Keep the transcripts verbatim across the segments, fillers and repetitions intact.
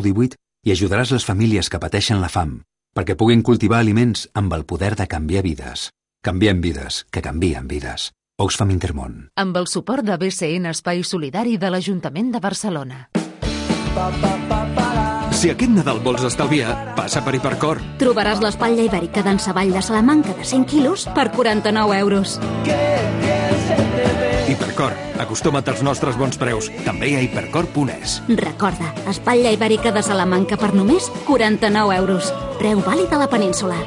divuit i ajudaràs les famílies que pateixen la fam perquè puguin cultivar aliments amb el poder de canviar vides. Canviem vides, que canvien vides. Oxfam Intermón. Amb el suport de B C N Espai Solidari de l'Ajuntament de Barcelona. Si aquest Nadal vols estalviar, passa per Hipercor. Trobaràs l'espatlla ibèrica d'en Savall de Salamanca de cent quilos per quaranta-nou euros. Hipercor, acostuma't als nostres bons preus. També a hipercor punt es. Recorda, espatlla ibèrica de Salamanca per només quaranta-nou euros. Preu vàlid a la península.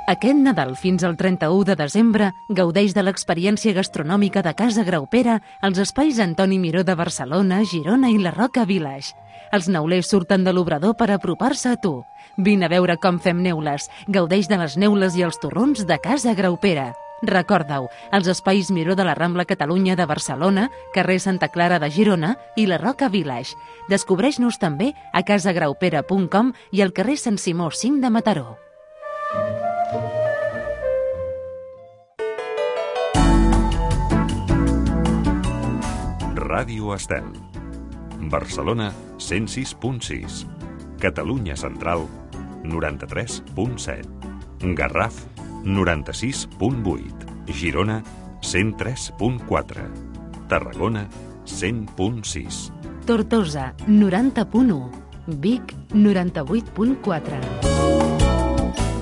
Aquest Nadal fins al trenta-u de desembre gaudeix de l'experiència gastronòmica de Casa Graupera als espais Antoni Miró de Barcelona, Girona i la Roca Village. Els neulers surten de l'obrador per apropar-se a tu. Vine a veure com fem neules. Gaudeix de les neules i els torrons de Casa Graupera. Recorda-ho, els espais Miró de la Rambla Catalunya de Barcelona, carrer Santa Clara de Girona i la Roca Village. Descobreix-nos també a casagraupera punt com i al carrer Sant Simó cinc de Mataró. Ràdio Estel. Barcelona, cent sis punt sis. Catalunya Central, noranta-tres punt set. Garraf, noranta-sis punt vuit. Girona, cent tres punt quatre. Tarragona, cent punt sis. Tortosa, noranta punt u. Vic, noranta-vuit punt quatre.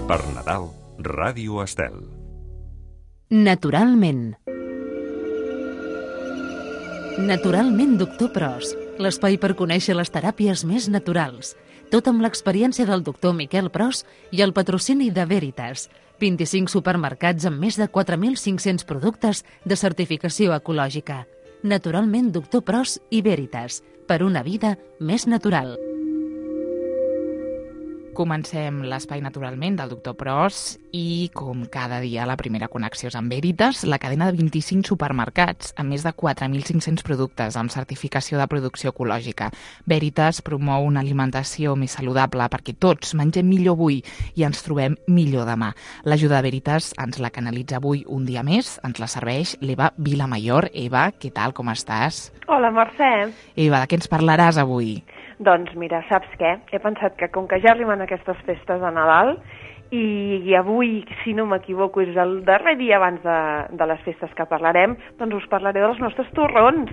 Per Nadal, Ràdio Estel. Naturalment. Naturalment, doctor Pros, l'espai per conèixer les teràpies més naturals. Tot amb l'experiència del doctor Miquel Pros i el patrocini de Veritas. vint-i-cinc supermercats amb més de quatre mil cinc-cents productes de certificació ecològica. Naturalment, doctor Pros i Veritas, per una vida més natural. Comencem l'espai naturalment del doctor Pros i, com cada dia, la primera connexió és amb Veritas, la cadena de vint-i-cinc supermercats amb més de quatre mil cinc-cents productes amb certificació de producció ecològica. Veritas promou una alimentació més saludable perquè tots mengem millor avui i ens trobem millor demà. L'ajuda de Veritas ens la canalitza avui un dia més, ens la serveix l'Eva Vilamayor. Eva, què tal, com estàs? Hola, Mercè. Eva, de què ens parlaràs avui? Doncs mira, saps què? He pensat que com que ja arriben aquestes festes de Nadal i, i avui, si no m'equivoco, és el darrer dia abans de, de les festes que parlarem, doncs us parlaré dels nostres torrons.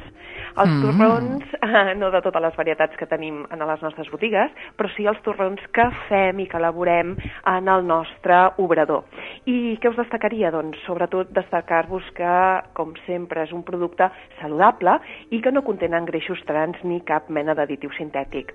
Els mm. torrons, eh, no de totes les varietats que tenim en les nostres botigues, però sí els torrons que fem i que elaborem en el nostre obrador. I què us destacaria? Doncs sobretot destacar-vos que, com sempre, és un producte saludable i que no contenen greixos trans ni cap mena d'additiu sintètic.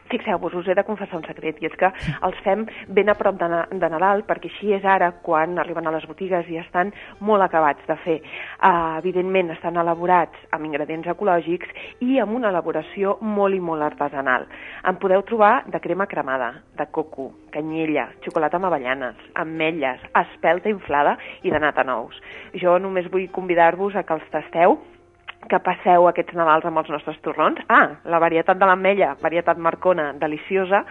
Fixeu-vos, us he de confessar un secret, i és que els fem ben a prop de, de Nadal, perquè així és ara quan arriben a les botigues i estan molt acabats de fer. Uh, evidentment, estan elaborats amb ingredients ecològics i amb una elaboració molt i molt artesanal. En podeu trobar de crema cremada, de coco, canyella, xocolata amb avellanes, ametlles, espelta inflada i de nata nous. Jo només vull convidar-vos a que els tasteu, que passeu aquests Nadals amb els nostres torrons. Ah, la varietat de l'ametlla, varietat marcona, deliciosa,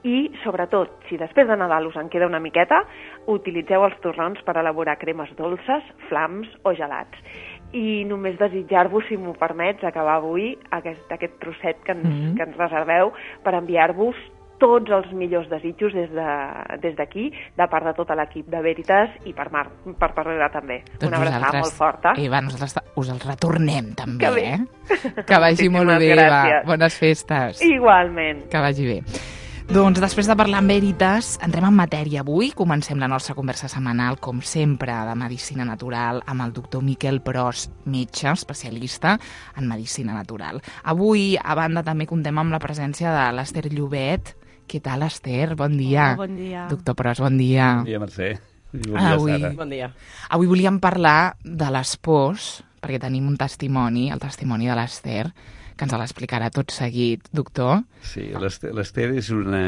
i sobretot, si després de Nadal us en queda una miqueta, utilitzeu els torrons per elaborar cremes dolces, flams o gelats. I només desitjar-vos, si m'ho permets, acabar avui aquest, aquest trosset que ens, mm-hmm. que ens reserveu per enviar-vos tots els millors desitjos des de, des d'aquí, de part de tot l'equip de Veritas i per Mar, per Parrera també. Tots una abraçada molt forta. Eva, nosaltres us els retornem també, que eh? Que vagi molt bé, Eva. Bones festes. Igualment. Que vagi bé. Doncs després de parlar amb Veritas, entrem en matèria avui. Comencem la nostra conversa setmanal, com sempre, de Medicina Natural, amb el doctor Miquel Pros, metge, especialista en Medicina Natural. Avui, a banda, també contem amb la presència de l'Ester Llobet. Què tal, Ester? Bon dia. Oh, bon dia. Doctor Pros, bon dia. Bon dia, Mercè. Bon dia, avui, Sara. Bon dia. Avui volíem parlar de les pors, perquè tenim un testimoni, el testimoni de l'Ester, que ens l'explicarà tot seguit, doctor. Sí, l'Ester és una...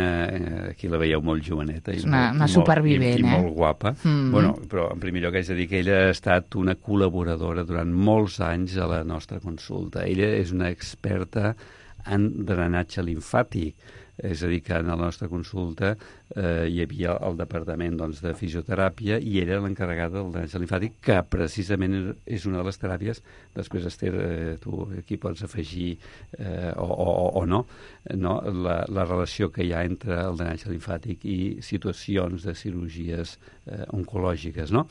Aquí la veieu molt joveneta. És una, molt, una supervivent, i, i eh? molt guapa. Mm-hmm. Bueno, però en primer lloc haig de dir que ella ha estat una col·laboradora durant molts anys a la nostra consulta. Ella és una experta en drenatge limfàtic. És a dir, que en la nostra consulta eh, hi havia el departament doncs, de fisioteràpia i era l'encarregada del drenatge limfàtic, que precisament és una de les teràpies. Després, Esther, eh, tu aquí pots afegir eh, o, o, o no, no? La, la relació que hi ha entre el drenatge limfàtic i situacions de cirurgies eh, oncològiques, no?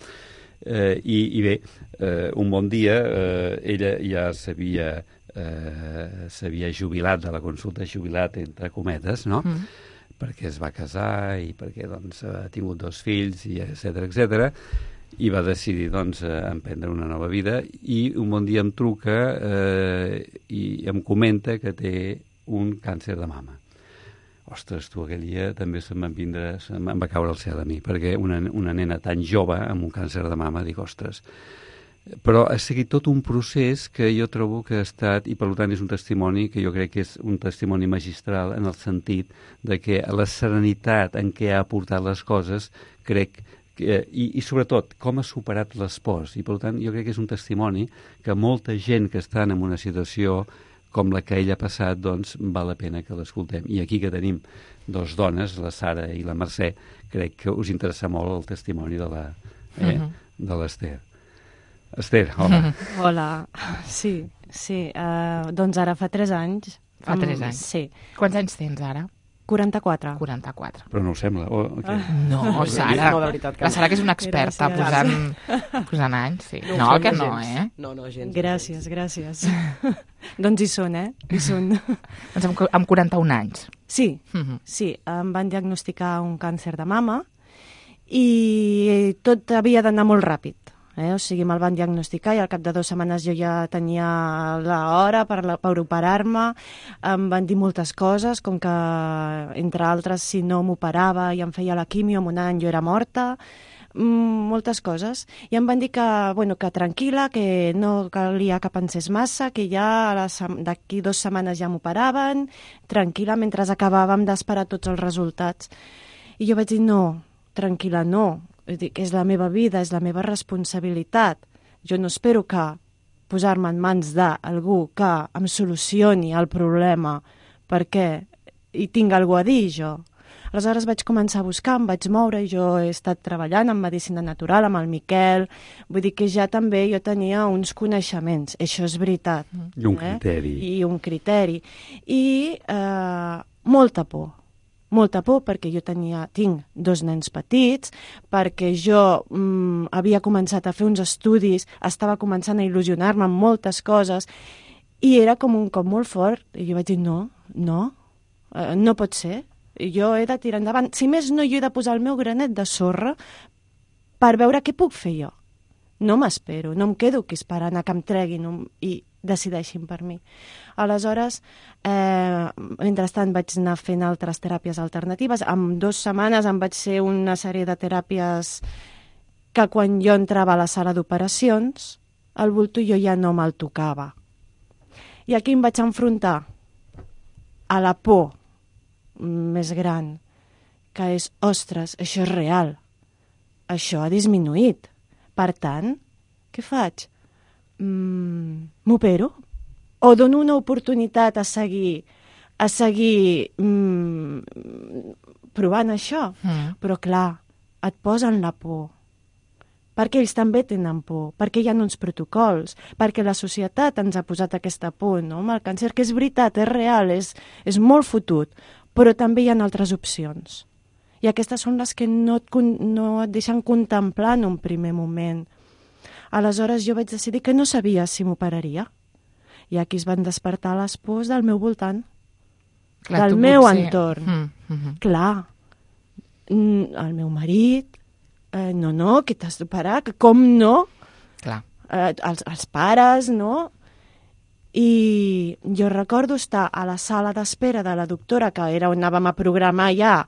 Eh, i, I bé, eh, un bon dia eh, ella ja s'havia eh, s'havia jubilat de la consulta, jubilat entre cometes, no? Mm. Perquè es va casar i perquè doncs, ha tingut dos fills, i etcètera, etcètera, i va decidir doncs, emprendre una nova vida, i un bon dia em truca eh, i em comenta que té un càncer de mama. Ostres, tu, aquell dia també se'm van vindre, se'm va caure el cel a mi, perquè una, una nena tan jove amb un càncer de mama, dic, ostres. Però ha seguit tot un procés que jo trobo que ha estat, i per tant és un testimoni que jo crec que és un testimoni magistral en el sentit de que la serenitat en què ha aportat les coses, crec que, i, i sobretot com ha superat l'espòs, i per tant jo crec que és un testimoni que molta gent que està en una situació com la que ell ha passat, doncs val la pena que l'escoltem. I aquí que tenim dos dones, la Sara i la Mercè, crec que us interessa molt el testimoni de la, eh, uh-huh. de l'Esther. Esther, hola. Hola, sí, sí. Uh, doncs ara fa tres anys. Fa tres anys? Sí. Quants anys tens ara? quaranta-quatre. quaranta-quatre. Però no ho sembla. Oh, okay. No, Sara. No, de veritat que la Sara que és una experta posant, posant anys, sí. No, no que no, gens. eh? No, no, gens. Gràcies, gràcies. Doncs hi són, eh? Hi són. Doncs amb, amb quaranta-un anys. Sí, uh-huh. sí. Em van diagnosticar un càncer de mama i tot havia d'anar molt ràpid. Eh? O sigui, me'l van diagnosticar i al cap de dues setmanes jo ja tenia l'hora per, la, per operar-me. Em van dir moltes coses, com que, entre altres, si no m'operava i em feia la quimio, en un any jo era morta. Mm, moltes coses. I em van dir que, bueno, que tranquil·la, que no calia que pensés massa, que ja d'aquí dues setmanes ja m'operaven, tranquil·la, mentre acabàvem d'esperar tots els resultats. I jo vaig dir, no, tranquil·la, no. Dic, és la meva vida, és la meva responsabilitat. Jo no espero que posar-me en mans d'algú que em solucioni el problema perquè hi tinc alguna a dir jo. Aleshores vaig començar a buscar, em vaig moure i jo he estat treballant en medicina natural amb el Miquel, vull dir que ja també jo tenia uns coneixements, això és veritat. I un eh? criteri. I un criteri. I eh, molta por. Molta por perquè jo tenia, tinc dos nens petits, perquè jo mm, havia començat a fer uns estudis, estava començant a il·lusionar-me amb moltes coses i era com un cop molt fort. I jo vaig dir, no, no, eh, no pot ser. Jo he de tirar endavant. Si més no, jo he de posar el meu granet de sorra per veure què puc fer jo. No m'espero, no em quedo aquí esperant a que em treguin un, i decideixin per mi. Aleshores, eh, mentrestant vaig anar fent altres teràpies alternatives. En dues setmanes em vaig fer una sèrie de teràpies que quan jo entrava a la sala d'operacions, el bulto jo ja no me'l tocava. I aquí em vaig enfrontar a la por més gran, que és, ostres, això és real, això ha disminuït. Per tant, què faig? Mm, m'opero? O dono una oportunitat a seguir, a seguir mm, provant això? Mm. Però clar, et posen la por. Perquè ells també tenen por, perquè hi ha uns protocols, perquè la societat ens ha posat aquesta por, no? Amb el càncer, que és veritat, és real, és, és molt fotut, però també hi ha altres opcions. I aquestes són les que no et, no et deixen contemplar en un primer moment. Aleshores jo vaig decidir que no sabia si m'operaria. I aquí es van despertar les pors del meu voltant, clar, del meu potser... entorn. Mm, mm -hmm. Clar, el meu marit, eh, no, no, que t'has d'operar, que com no? Clar. Eh, els, els pares, no? I jo recordo estar a la sala d'espera de la doctora, que era on anàvem a programar ja.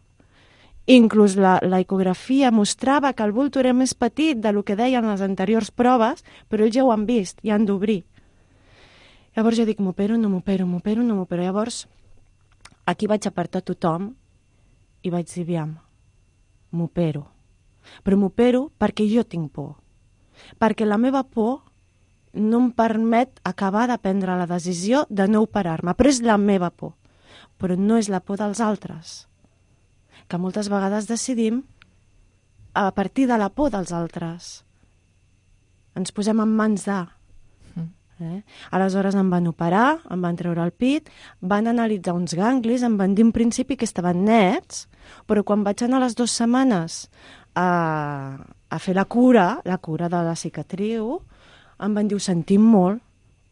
Inclús la, la ecografia mostrava que el bulto era més petit del que deien les anteriors proves, però ells ja ho han vist, ja han d'obrir. Llavors jo dic, m'opero, no m'opero, m'opero, no m'opero. Llavors, aquí vaig apartar tothom i vaig dir, aviam, m'opero. Però m'opero perquè jo tinc por. Perquè la meva por no em permet acabar de prendre la decisió de no operar-me, però és la meva por, però no és la por dels altres, que moltes vegades decidim a partir de la por dels altres. Ens posem en mans de... Eh? Aleshores em van operar, em van treure el pit, van analitzar uns ganglis, em van dir en principi que estaven nets, però quan vaig anar les dues setmanes a, a fer la cura, la cura de la cicatriu, em van dir, ho sentim molt,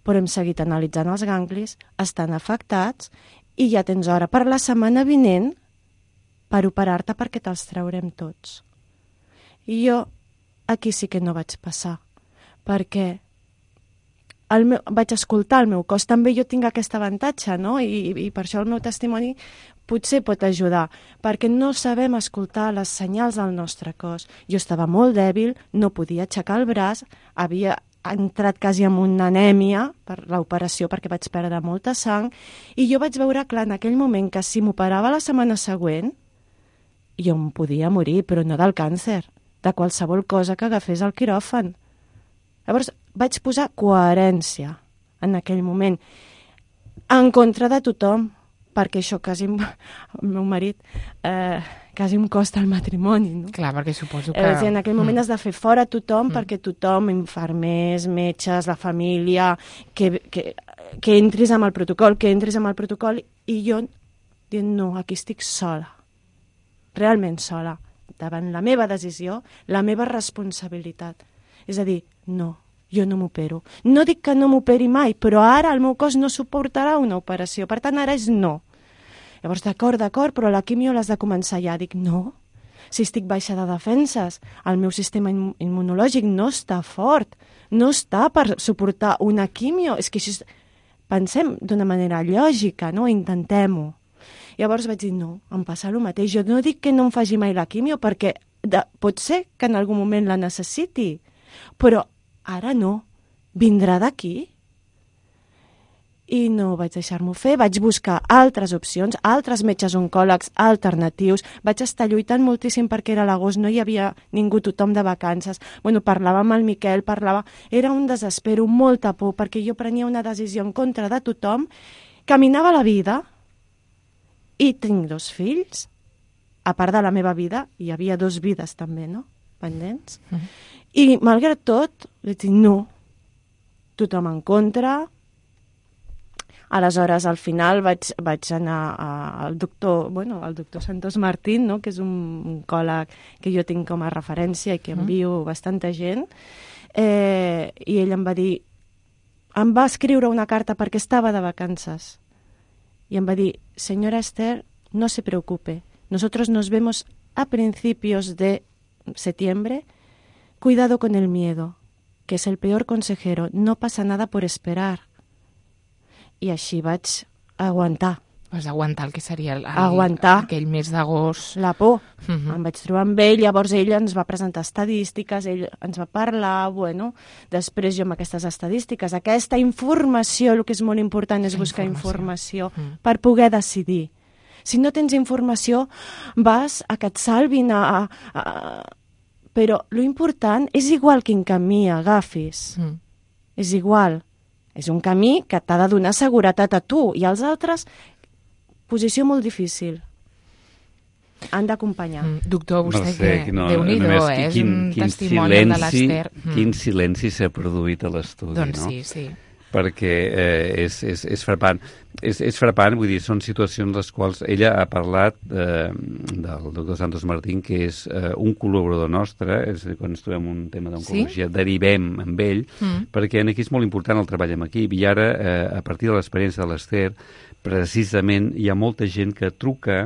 però hem seguit analitzant els ganglis, estan afectats i ja tens hora per la setmana vinent per operar-te perquè te'ls traurem tots. I jo aquí sí que no vaig passar, perquè el meu, vaig escoltar el meu cos. També jo tinc aquest avantatge, no? I, i per això el meu testimoni potser pot ajudar, perquè no sabem escoltar les senyals del nostre cos. Jo estava molt dèbil, no podia aixecar el braç, havia entrat quasi amb una anèmia per l'operació perquè vaig perdre molta sang, i jo vaig veure clar en aquell moment que si m'operava la setmana següent, jo em podia morir, però no del càncer, de qualsevol cosa que agafés al quiròfan. Llavors vaig posar coherència en aquell moment, en contra de tothom, perquè això quasi, el meu marit, eh, quasi em costa el matrimoni. No? Clar, perquè suposo que... Eh, en aquell moment mm. has de fer fora tothom, Mm. perquè tothom, infermers, metges, la família, que, que, que entris amb el protocol, que entris amb el protocol, i jo dient, no, aquí estic sola, realment sola, davant la meva decisió, la meva responsabilitat. És a dir, no, jo no m'opero. No dic que no m'operi mai, però ara el meu cos no suportarà una operació. Per tant, ara és no. Llavors, d'acord, d'acord, però la quimio l'has de començar ja. Dic, no, si estic baixa de defenses, el meu sistema immunològic no està fort, no està per suportar una quimio. És que així pensem d'una manera lògica, no? Intentem-ho. Llavors vaig dir, no, em passa el mateix. Jo no dic que no em faci mai la quimio, perquè de, pot ser que en algun moment la necessiti, però ara no, vindrà d'aquí. I no vaig deixar-m'ho fer, vaig buscar altres opcions, altres metges oncòlegs alternatius, vaig estar lluitant moltíssim perquè era l'agost, no hi havia ningú, tothom de vacances. Bueno, parlava amb el Miquel, parlava... Era un desespero, molta por, perquè jo prenia una decisió en contra de tothom, caminava la vida i tinc dos fills. A part de la meva vida, hi havia dos vides també, no? Pendents. Mm-hmm. I, malgrat tot, vaig dir, no, tothom en contra. Aleshores, al final, vaig, vaig anar a, al doctor, bueno, al doctor Santos Martín, no?, que és un oncòleg que jo tinc com a referència i que envio mm. bastanta gent, eh, i ell em va dir, em va escriure una carta perquè estava de vacances, y em va dir, señora Esther, no se preocupe, nosotros nos vemos a principios de septiembre. Cuidado con el miedo, que es el peor consejero. No pasa nada por esperar. I així vaig aguantar. Vas aguantar el que seria el, el, aguantar. aquell mes d'agost. La por. Uh-huh. Em vaig trobar amb ell, llavors ell ens va presentar estadístiques, ell ens va parlar, bueno, després jo amb aquestes estadístiques, aquesta informació, el que és molt important és buscar informació, informació uh-huh. per poder decidir. Si no tens informació, vas a que et salvin a... a, a però lo important és igual quin camí agafis. Mm. És igual. És un camí que t'ha de donar seguretat a tu i als altres, posició molt difícil. Han d'acompanyar. Mm. Doctor, vostè no sé, que no, Déu-n'hi-do, eh? És quin, un quin testimoni silenci, de l'Ester. Mm. Quin silenci s'ha produït a l'estudi, doncs no? sí, sí. Perquè eh, és, és, és frapant. És, és frapant, vull dir, són situacions les quals ella ha parlat eh, del doctor Santos Martín, que és eh, un col·laborador nostre, és a dir, quan ens trobem un tema d'oncologia, sí? derivem amb ell, mm. perquè aquí és molt important el treball en equip, i ara, eh, a partir de l'experiència de l'Ester, precisament hi ha molta gent que truca.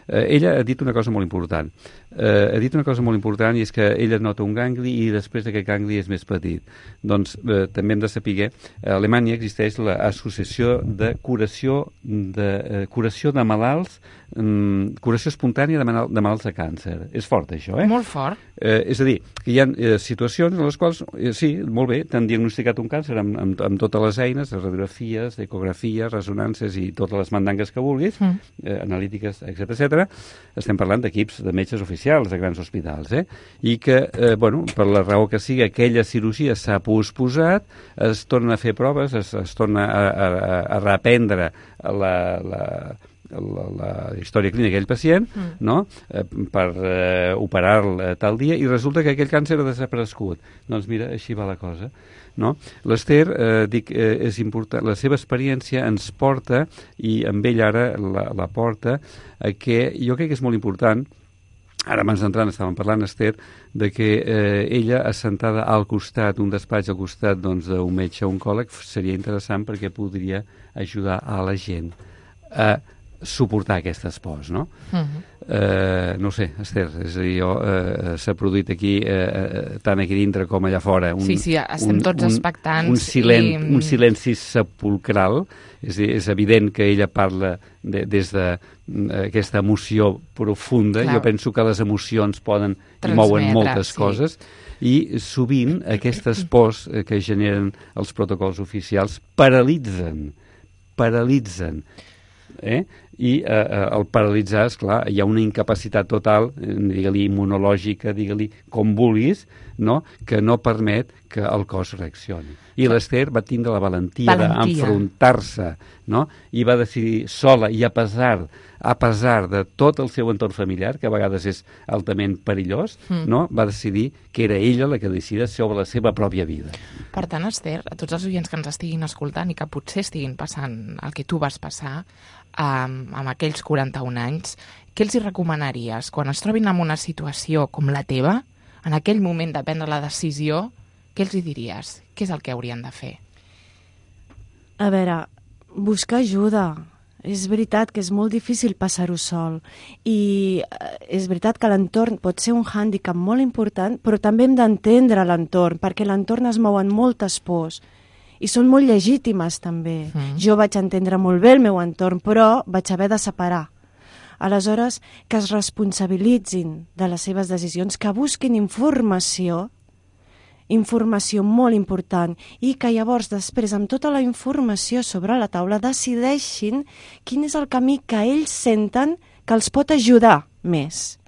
Eh, ella ha dit una cosa molt important. Eh, ha dit una cosa molt important i és que ella nota un gangli i després aquest gangli és més petit. Doncs eh, també hem de saber, a Alemanya existeix l'Associació de Curació curació de, eh, curació de malalts, mm, curació espontània de, mal, de malalts de càncer. És fort, això, eh? Molt fort. Eh, és a dir, que hi ha eh, situacions en les quals, eh, sí, molt bé, t'han diagnosticat un càncer amb, amb, amb totes les eines, radiografies, ecografies, resonàncies i totes les mandangues que vulguis, mm. eh, analítiques, etcètera, etcètera. Estem parlant d'equips de metges oficials de grans hospitals, eh? I que, eh, bueno, per la raó que sigui, aquella cirurgia s'ha posposat, es torna a fer proves, es, es torna a, a, a reprendre la, la, la, la història clínica d'aquell pacient, mm. no? eh, per eh, operar-lo tal dia, i resulta que aquell càncer ha desaparegut. Doncs mira, així va la cosa. No? L'Ester, eh, dic, eh, és important, la seva experiència ens porta, i amb ell ara la, la porta, a que jo crec que és molt important. Ara, abans d'entrar, estàvem parlant, Ester, de que eh, ella, assentada al costat, un despatx al costat doncs, d'un metge oncòleg, seria interessant perquè podria ajudar a la gent a suportar aquest espòs, no? Uh-huh. eh, no sé, Ester, és a dir, jo, eh, s'ha produït aquí, eh, tant aquí dintre com allà fora, un, sí, sí, estem un, tots un, expectants. Un, silen, i... un silenci sepulcral. És, és evident que ella parla de, des d'aquesta de, emoció profunda. Clar. Jo penso que les emocions poden i mouen moltes sí. coses, i sovint aquestes pors que generen els protocols oficials paralitzen, paralitzen. Eh? I eh, el paralitzar, esclar, hi ha una incapacitat total, digue-li immunològica, digue-li com vulguis, no? Que no permet que el cos reaccioni. I l'Ester va tindre la valentia, valentia. d'enfrontar-se, no? I va decidir sola, i a pesar, a pesar de tot el seu entorn familiar, que a vegades és altament perillós, mm. no? Va decidir que era ella la que decidia sobre la seva pròpia vida. Per tant, Ester, a tots els oients que ens estiguin escoltant i que potser estiguin passant el que tu vas passar, amb, amb aquells quaranta-un anys, què els hi recomanaries quan es trobin en una situació com la teva, en aquell moment de prendre la decisió, què els hi diries? Què és el que haurien de fer? A veure, buscar ajuda. És veritat que és molt difícil passar-ho sol, i és veritat que l'entorn pot ser un hàndicap molt important, però també hem d'entendre l'entorn, perquè l'entorn es mou en moltes pors, i són molt legítimes també. Mm. Jo vaig entendre molt bé el meu entorn, però vaig haver de separar. Aleshores, que es responsabilitzin de les seves decisions, que busquin informació, informació molt important, i que llavors després, amb tota la informació sobre la taula, decideixin quin és el camí que ells senten que els pot ajudar més.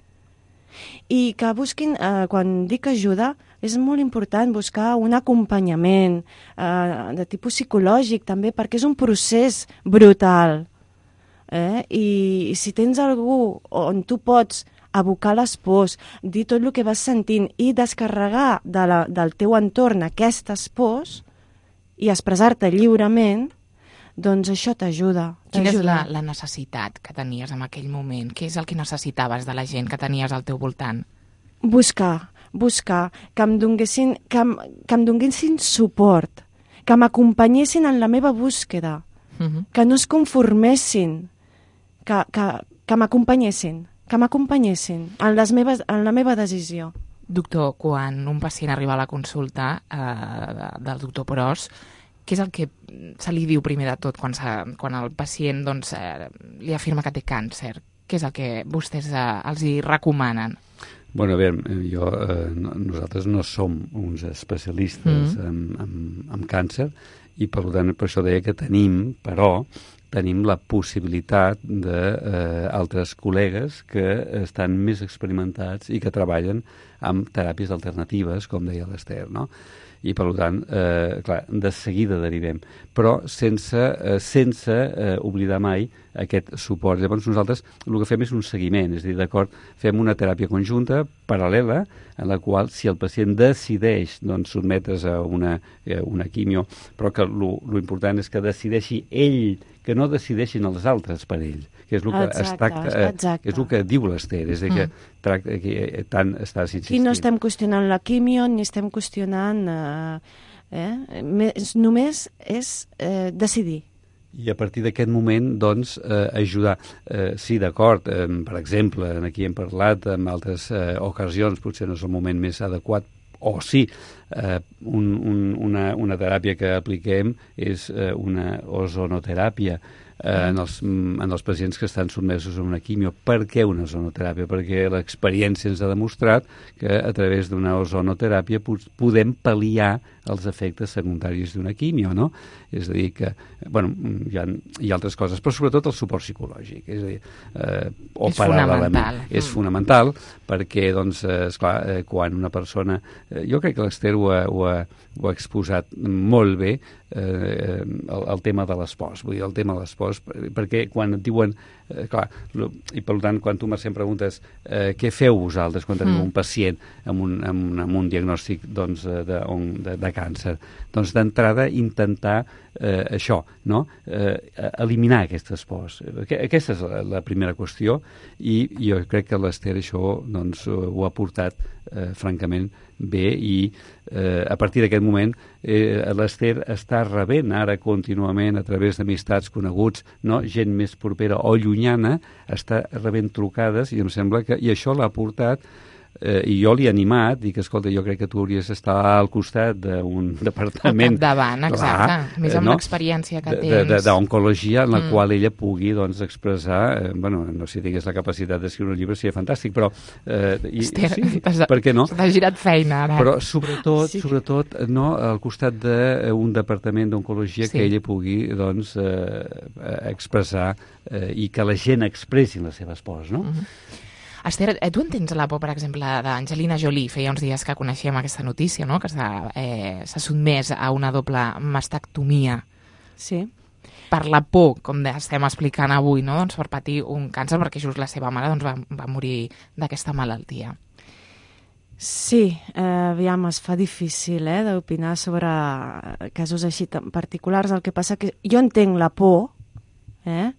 I que busquin, eh, quan dic ajuda, és molt important buscar un acompanyament eh, de tipus psicològic també, perquè és un procés brutal. Eh? I, I si tens algú on tu pots abocar les pors, dir tot el que vas sentint i descarregar de la, del teu entorn aquestes pors i expressar-te lliurement, doncs això t'ajuda. Quina és la, la necessitat que tenies en aquell moment? Què és el que necessitaves de la gent que tenies al teu voltant? Buscar, buscar, que em donessin, que em, que em donessin suport, que m'acompanyessin en la meva búsqueda, uh-huh. que no es conformessin, que, que, que m'acompanyessin. que m'acompanyessin en, les meves, en la meva decisió. Doctor, quan un pacient arriba a la consulta eh, del doctor Pros, què és el que se li diu primer de tot quan, quan el pacient doncs, eh, li afirma que té càncer? Què és el que vostès eh, els hi recomanen? Bueno, a veure, jo, eh, nosaltres no som uns especialistes mm. en, en, en càncer, i per tant per això deia que tenim, però tenim la possibilitat d'altres eh, col·legues que estan més experimentats i que treballen amb teràpies alternatives, com deia l'Ester, no? I, per tant, eh, clar, de seguida derivem, però sense, eh, sense eh, oblidar mai aquest suport. Llavors, nosaltres el que fem és un seguiment, és a dir, d'acord, fem una teràpia conjunta, paral·lela, en la qual, si el pacient decideix doncs, sotmetre's a una, eh, una quimio, però que l'important és que decideixi ell, que no decideixin els altres per ell, que és el que, exacte, està, eh, és el que diu l'Ester, és a dir, que, mm. tracta, que tant estàs insistint. Aquí no estem qüestionant la quimio, ni estem qüestionant... Eh, eh, només és eh, decidir. I a partir d'aquest moment, doncs, eh, ajudar. Eh, sí, d'acord, eh, per exemple, aquí hem parlat en altres eh, ocasions, potser no és el moment més adequat, o sí, eh, un, un, una, una teràpia que apliquem és eh, una ozonoteràpia. eh, en, els, en els pacients que estan sotmesos a una quimio. Per què una ozonoteràpia? Perquè l'experiència ens ha demostrat que a través d'una ozonoteràpia podem pal·liar els efectes secundaris d'una quimio, no? És a dir, que, bueno, hi ha, hi ha altres coses, però sobretot el suport psicològic. És a dir, eh, o és fonamental. És fonamental perquè, doncs, eh, esclar, eh, quan una persona... Eh, jo crec que l'Ester ho, ha, ho, ha, ho ha exposat molt bé, eh, el, el tema de l'espòs. Vull dir, el tema de l'espòs, perquè quan et diuen... Eh, clar, lo, i per tant, quan tu, Mercè, em preguntes eh, què feu vosaltres quan teniu mm. un pacient amb un, amb un, amb un diagnòstic doncs, de, de, de càncer, doncs d'entrada intentar eh, això, no? Eh, eliminar aquest espòs. Aquesta és la, la primera qüestió i jo crec que l'Ester això doncs, ho ha portat eh, francament bé i eh, a partir d'aquest moment eh, l'Ester està rebent ara contínuament a través d'amistats coneguts, no? Gent més propera o llunyana, està rebent trucades i em sembla que i això l'ha portat eh, i jo l'he animat, dic, escolta, jo crec que tu hauries d'estar al costat d'un departament... Al capdavant, exacte. Clar, més amb no? l'experiència que tens. D'oncologia, en la mm. qual ella pugui doncs, expressar... Eh, bueno, no sé si tingués la capacitat d'escriure un llibre, seria fantàstic, però... Eh, i, Hòstia, sí, per què no? T'ha girat feina, ara. Però sobretot, sí. sobretot no, al costat d'un departament d'oncologia sí. que ella pugui doncs, eh, expressar eh, i que la gent expressi les seves pors, no? Mm-hmm. Ester, tu entens la por, per exemple, d'Angelina Jolie? Feia uns dies que coneixíem aquesta notícia, no? Que s'ha eh, sotmès a una doble mastectomia. Sí. Per la por, com estem explicant avui, no? Doncs per patir un càncer, perquè just la seva mare doncs, va, va morir d'aquesta malaltia. Sí, eh, aviam, es fa difícil eh, d'opinar sobre casos així tan particulars. El que passa que jo entenc la por, eh?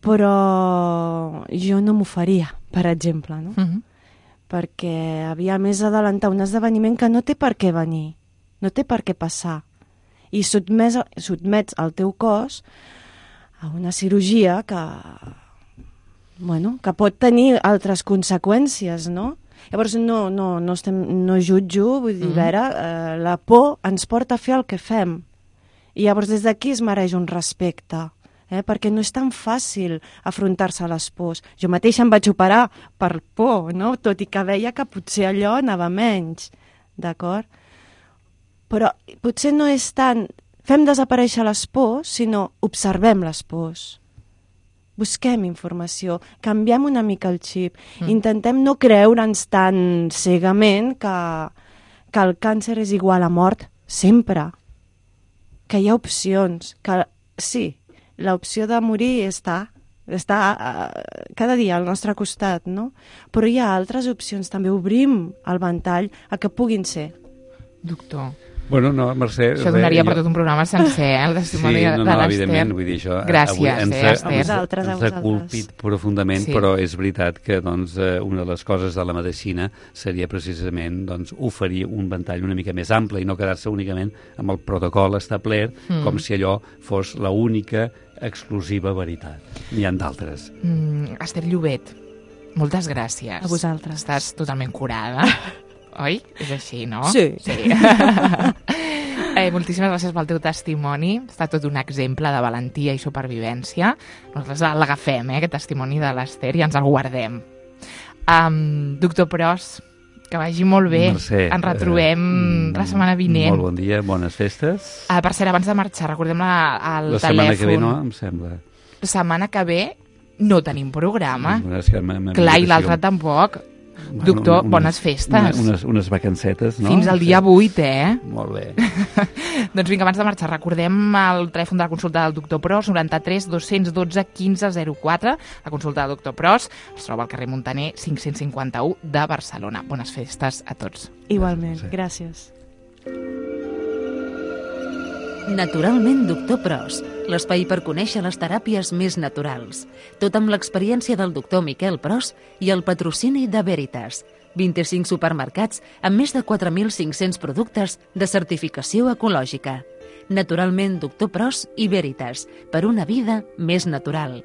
Però jo no m'ho faria, per exemple, no? Uh-huh. Perquè havia més adelantar un esdeveniment que no té per què venir, no té per què passar. I sotmets, sotmets el teu cos a una cirurgia que, bueno, que pot tenir altres conseqüències, no? Llavors no, no, no, estem, no jutjo, vull dir, uh-huh. veure, eh, la por ens porta a fer el que fem. I llavors des d'aquí es mereix un respecte. Eh, perquè no és tan fàcil afrontar-se a les pors. Jo mateixa em vaig operar per por, no? Tot i que veia que potser allò anava menys, d'acord? Però potser no és tant fem desaparèixer les pors, sinó observem les pors. Busquem informació, canviem una mica el xip, mm. intentem no creure'ns tan cegament que, que el càncer és igual a mort sempre, que hi ha opcions, que sí, l'opció de morir està, està uh, cada dia al nostre costat, no? Però hi ha altres opcions, també obrim el ventall a que puguin ser. Doctor. Bueno, no, Mercè... Això donaria per tot un programa sencer, eh? El testimoni sí, de, no, de no, l'Ester. Evidentment, vull dir això... Gràcies, avui ens, eh, Ester. Ens, ens, ens ha colpit profundament, sí. Però és veritat que doncs, una de les coses de la medicina seria precisament doncs, oferir un ventall una mica més ample i no quedar-se únicament amb el protocol establert, mm. com si allò fos l'única exclusiva veritat. N'hi ha d'altres. Mm, Ester Llobet, moltes gràcies. A vosaltres. Estàs totalment curada. Oi? És així, no? Sí. sí. eh, moltíssimes gràcies pel teu testimoni. Està tot un exemple de valentia i supervivència. Nosaltres l'agafem, eh, aquest testimoni de l'Ester, i ens el guardem. Um, doctor Pros, que vagi molt bé. Mercè, ens retrobem eh, la setmana vinent. Molt bon dia, bones festes. Uh, per cert, abans de marxar, recordem la, el la telèfon. La setmana que ve no, em sembla. La setmana que ve no tenim programa. No, és que clar, i l'altre tampoc. Bueno, doctor, unes, bones festes. Unes, unes vacancetes, no? Fins al dia vuit, eh? Molt bé. Doncs vinga, abans de marxar, recordem el telèfon de la consulta del doctor Pros, noranta-tres dos cents dotze quinze zero quatre. La consulta del doctor Pros es troba al carrer Montaner cinc-cents cinquanta-u de Barcelona. Bones festes a tots. Igualment, gràcies. Naturalment, doctor Pros, l'espai per conèixer les teràpies més naturals. Tot amb l'experiència del doctor Miquel Pros i el patrocini de Veritas. vint-i-cinc supermercats amb més de quatre mil cinc-cents productes de certificació ecològica. Naturalment, doctor Pros i Veritas, per una vida més natural.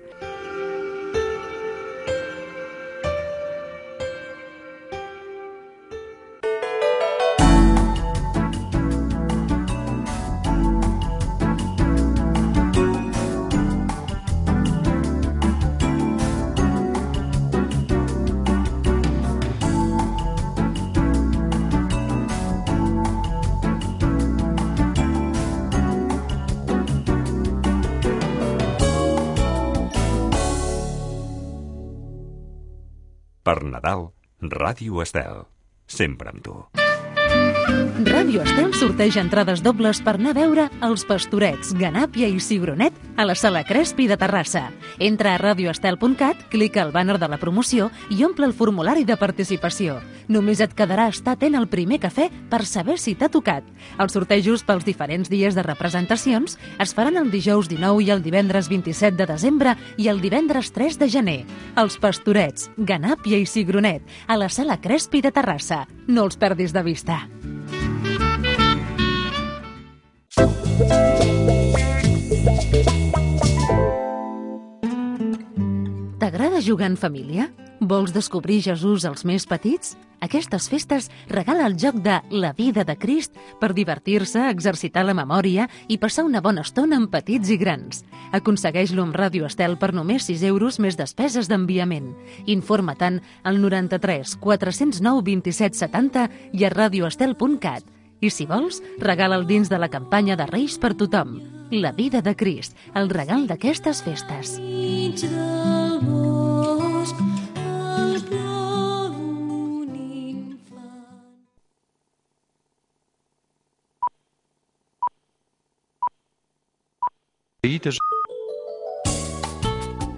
Per Nadal, Ràdio Estel. Sempre amb tu. Ràdio Estel sorteja entrades dobles per anar a veure Els Pastorets, Ganàpia i Cigronet a la Sala Crespi de Terrassa. Entra a radioestel punt cat, clica al bàner de la promoció i omple el formulari de participació. Només et quedarà estar atent al primer cafè per saber si t'ha tocat. Els sortejos pels diferents dies de representacions es faran el dijous dinou i el divendres vint-i-set de desembre i el divendres tres de gener. Els Pastorets, Ganàpia i Cigronet a la Sala Crespi de Terrassa. No els perdis de vista. T'agrada jugar en família? Vols descobrir Jesús als més petits? Aquestes festes regala el joc de La vida de Crist per divertir-se, exercitar la memòria i passar una bona estona amb petits i grans. Aconsegueix-lo amb Ràdio Estel per només sis euros més despeses d'enviament. Informa-te'n al noranta-tres quatre zero nou vint-i-set setanta i a radioestel punt cat. I si vols, regala'l dins de la campanya de Reis per tothom. La vida de Crist, el regal d'aquestes festes. Dites